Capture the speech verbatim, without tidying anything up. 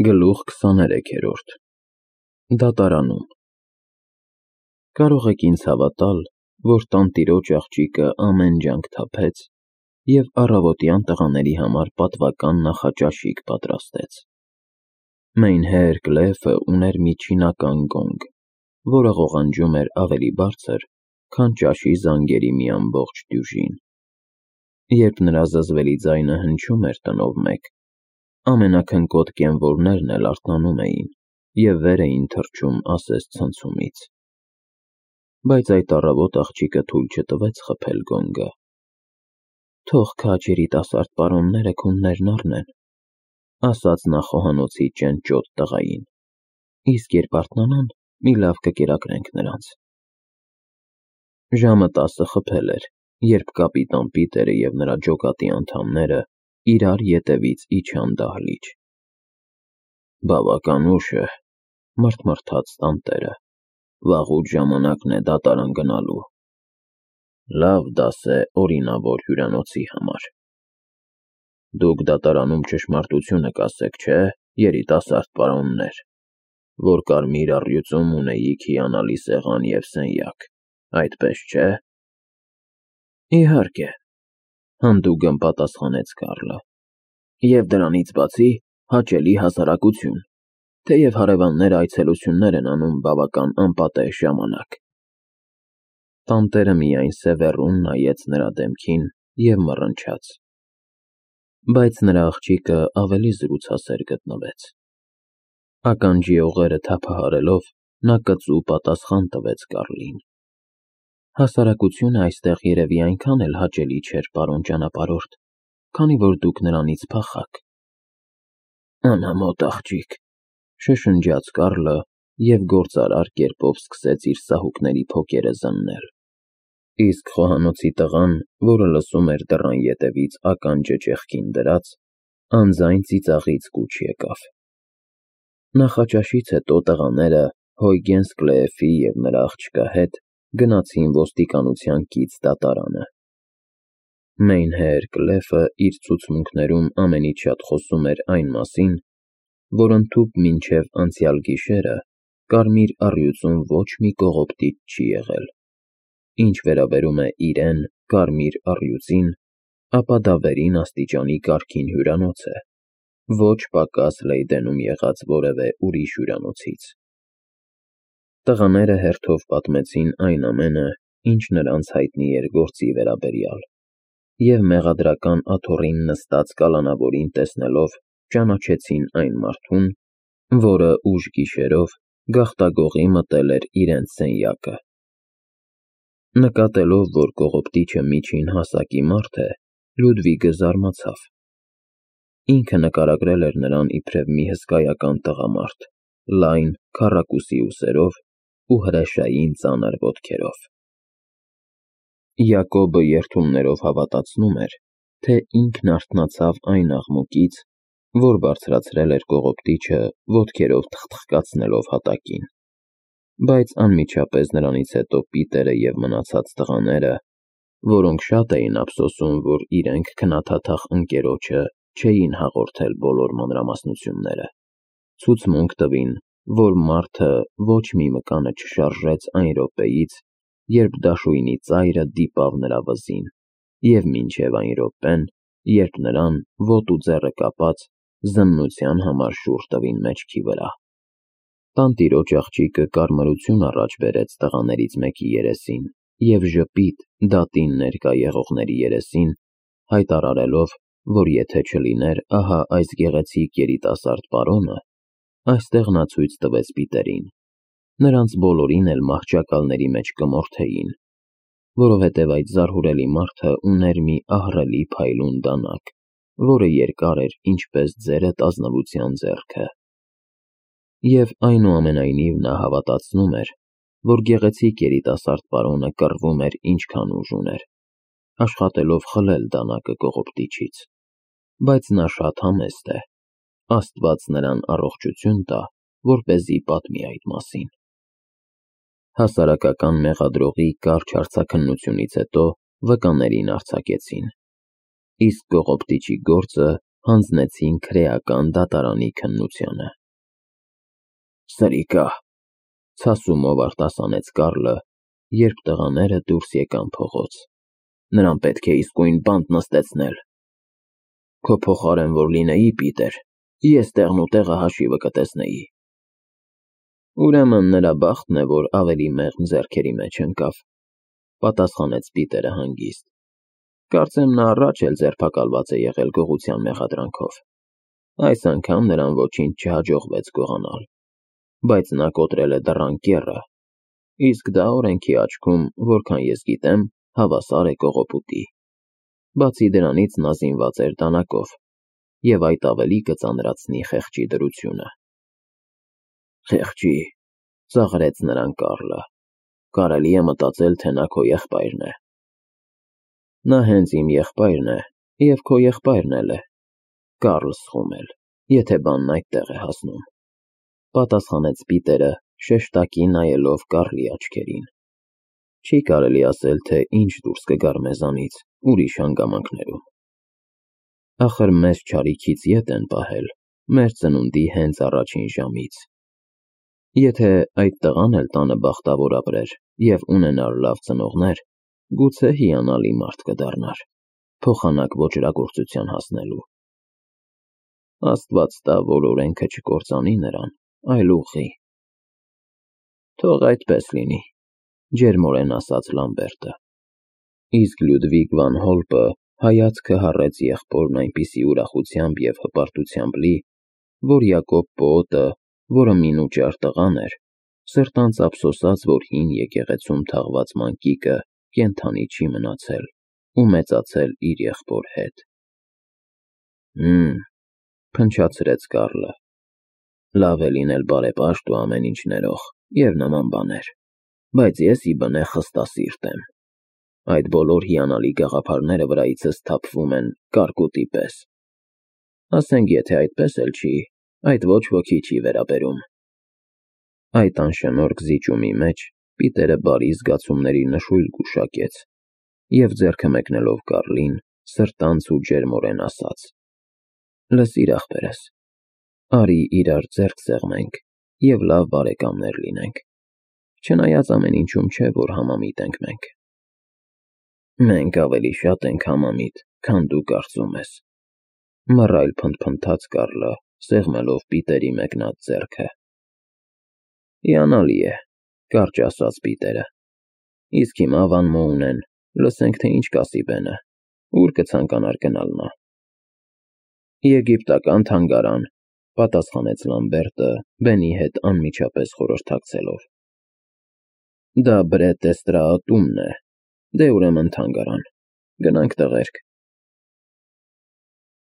Գլուխ քսաներեքերորդ Դատարանում Կարող եք ինձ հավատալ, որ տանտիրոջ աղջիկը ամեն ջանք թափեց և առավոտյան տղաների համար պատվական նախաճաշիկ պատրաստեց։ Մեյնհեր Կլեֆը ուներ մի չինական գոնգ, որը ղողանջում էր ավելի բարձր, քան ճաշի զանգերի մի ամբողջ դյուժին։ Երբ նրա զզվելի ձայնը հնչում էր տնով մեկ, ամենաքնկոտ կենվոլներն էլ արթնանում էին և վեր էին թռչում ասես ցնցումից։ Բայց այդ առավոտ աղջիկը թույլ չտվեց խփել գոնգը։ «Թող քաջ երիտասարդ պարոնները քուններն առնեն», ասաց նա խոհանոցի ճենճոտ տղային, «իսկ երբ արթնանան, մի լավ կկերակրենք նրանց»։ Ժամը տասը խփել էր, երբ կապիտան Պիտերը և նրա ջոկատի անդամները իրար ետևից իջան դահլիճ։ «Բավական ուշ է,» մռթմռթաց տանտերը, «վաղուց ժամանակն է դատարան գնալու։ Լավ դաս է օրինավոր հյուրանոցի համար։ Դուք դատարանում ճշմարտությունը կասեք, չէ՞, երիտասարդ պարոններ, որ կարմիր առյուծում ունեիք հիանալի սեղան և սենյակ, այդպես չէ՞»։ «Իհարկե,» հանդուգն պատասխանեց Կարլը, «և դրանից բացի հաճելի հասարակություն, թեև հարևանները այցելություններ են անում բավական անպատեհ ժամանակ»։ Տանտերը միայն սևեռուն նայեց նրա դեմքին և մռնչաց։ Բայց նրա աղջիկը ավելի զրուցասեր գտնվեց։ Ականջի օղերը թափահարելով, նա կծու պատասխան տվեց Կարլին. «Հասարակությունը այստեղ երևի այնքան էլ հաճելի չէր, պարոն ճանապարհորդ, քանի որ դուք նրանից փախաք»։ «Անամոթ աղջիկ», շշնջաց Կարլը և գործարար կերպով սկսեց իր սահուկների փոկերը զննել։ Իսկ խոհանոցի տղան, որը լսում էր դռան ետևից ականջը ճեղքին դրած, անձայն ծիծաղից կուչ եկավ։ Նախաճաշից հետո տղաները Հոյգենս Կլեեֆի և նրա աղջկա հետ գնացին ոստիկանության կից դատարանը։ Մեյնհեր Կլեֆը իր ցուցմունքներում ամենից շատ խոսում էր այն մասին, որ ընդհուպ մինչև անցյալ գիշերը կարմիր առյուծում ոչ մի կողոպտիչ չի եղել։ Ինչ վերաբերում է իրեն՝ կարմիր առյուծին, ապա դա վերին աստիճանի կարգին հյուրանոց է, ոչ պակաս Լեյդենում եղած որևէ ուրիշ հյուրանոցից։ Տղաները հերթով պատմեցին այն ամենը, ինչ նրանց հայտնի էր գործի վերաբերյալ, և մեղադրական աթոռին նստած կալանավորին տեսնելով ճանաչեցին այն մարդուն, որը ուշ գիշերով գաղտագողի մտել էր իրենց սենյակը։ Նկատելով, որ կողոպտիչը միջին հասակի մարդ է, Լյուդվիգը զարմացավ։ Ինքը նկարագրել էր նրան իբրև մի հսկայական տղամարդ՝ լայն, քառակուսի ուսերով ու հրեշային ծանր ոտքերով։ Յակոբը երդումներով հավատացնում էր, թե ինքն արթնացավ այն աղմուկից, որ բարձրացրել էր կողոպտիչը ոտքերով թխթխկացնելով հատակին, բայց անմիջապես նրանից հետո Պիտերը և մնացած տղաները, որոնք շատ էին ափսոսում, որ իրենք քնաթաթախ ընկերոջը չէին հաղորդել բոլոր մանրամասնությունները, ցուցմունք տվին, որ մարդը ոչ մի մկանը չշարժեց այն րոպեից, երբ դաշույնի ծայրը դիպավ նրա վզին, և մինչև այն րոպեն, երբ նրան, ոտ ու ձեռը կապած, զննության համար շուռ տվին մեջքի վրա։ Տանտիրոջ աղջիկը կարմրություն առաջ բերեց տղաներից մեկի երեսին և ժպիտ դատին ներկա եղողների երեսին, հայտարարելով, որ եթե չլիներ ահա այս գեղեցիկ երիտասարդ պարոնը, այստեղ նա ցույց տվեց Պիտերին, նրանց բոլորին էլ մահճակալների մեջ կմորթեին, որովհետև այդ զարհուրելի մարդը ուներ մի ահռելի փայլուն դանակ, որը երկար էր ինչպես ձերդ ազնվության ձեռքը։ Եվ այնուամենայնիվ նա հավատացնում էր, որ գեղեցիկ երիտասարդ պարոնը կռվում էր ինչքան ուժ ուներ, աշխատելով խլել դանակը կողոպտիչից, բայց նա շատ համեստ է, Աստված նրան առողջություն տա, որպեսզի պատմի այդ մասին։ Հասարակական մեղադրողի կարճ հարցաքննությունից հետո վկաներին արձակեցին, իսկ կողոպտիչի գործը հանձնեցին քրեական դատարանի քննությանը։ Սրիկա, ցասումով արտասանեց Կարլը, երբ տղաները դուրս եկան փողոց։ Նրան պետք է իսկույն բանտ նստեցնել։ Քո փոխարեն որ լինեի, Պիտեր, ես տեղն ու տեղը հաշիվը կտեսնեի։ Ուրեմն նրա բախտն է, որ ավելի մեղմ ձեռքերի մեջ ընկավ, պատասխանեց Պիտերը հանգիստ։ Կարծեմ նա առաջ էլ ձերբակալված է եղել գողության մեղադրանքով։ Այս անգամ նրան ոչինչ չհաջողվեց գողանալ, բայց նա կոտրել է դռան կեռը, իսկ դա օրենքի աչքում, որքան ես գիտեմ, հավասար է կողոպուտի։ Բացի դրանից նա զինված էր դանակով, և այդ ավելի կծանրացնի խեղճի դրությունը։ Խեղճի, ծաղրեց նրան Կարլը, կարելի է մտածել, թե նա քո եղբայրն է։ Նա հենց իմ եղբայրն է, և քո եղբայրն էլ է, Կարլ Սխումել, եթե բանն այդտեղ է հասնում, պատասխանեց Պիտերը, շեշտակի նայելով Կարլի աչքերին։ Չի կարելի ասել, թե ինչ դուրս կգար մեզանից ուրիշ հանգամանքներում։ Ախր մեզ չարիքից ետ են պահել, մեր ծնունդի հենց առաջին ժամից։ Եթե այդ տղան էլ տանը բախտավոր ապրեր և ունենար լավ ծնողներ, գուցե հիանալի մարդ կդառնար, փոխանակ ոճրագործության հասնելու։ Աստված տա, որ օրենքը չկործանի նրան, այլ ուղղի։ Թող այդպես լինի, ջերմորեն ասաց Լամբերտը։ Իսկ Լյուդվիգ վան Հոլպը հայացքը հառեց եղբորն այնպիսի ուրախությամբ և հպարտությամբ լի, որ Յակոբ պոոտը, որը մինուճար տղան էր, սրտանց ափսոսաց, որ հին եկեղեցում թաղված մանկիկը կենդանի չի մնացել ու մեծացել իր եղբոր հետ։ Հըմ, փնչացրեց Կարլը, լավ է լինել բարեպաշտ ու ամեն ինչ ներող և նման բաներ, բայց ես ի բնե խստասիրտ եմ։ Այդ բոլոր հիանալի գաղափարները վրայիցս թափվում են կարկուտի պես։ Ասենք, եթե այդպես էլ չի, այդ ոչ ոքի չի վերաբերում։ Այդ անշնորհք զիջումի մեջ Պիտերը բարի զգացումների նշույլ գուշակեց և ձեռքը մեկնելով Կարլին, սրտանց ու ջերմորեն ասաց. Լսիր, ախպերս, արի իրար ձեռք սեղմենք և լավ բարեկամներ լինենք, չնայած ամեն ինչում չէ, որ համամիտ ենք մենք։ Մենք ավելի շատ ենք համամիտ, քան դու կարծում ես, մռայլ փնթփնթաց Կարլը, սեղմելով Պիտերի մեկնած ձեռքը։ Հիանալի է, կարճ ասաց Պիտերը։ Իսկ հիմա Վան Մոունեն, լսենք, թե ինչ կասի Բենը, ուր կցանկանար գնալ նա։ Եգիպտական թանգարան, պատասխանեց Լամբերտը, Բենի հետ անմիջապես խորհրդակցելով։ Դա Բրետ դե Ստրաատումն է, դե ուրեմն թանգարան, գնանք տղերք։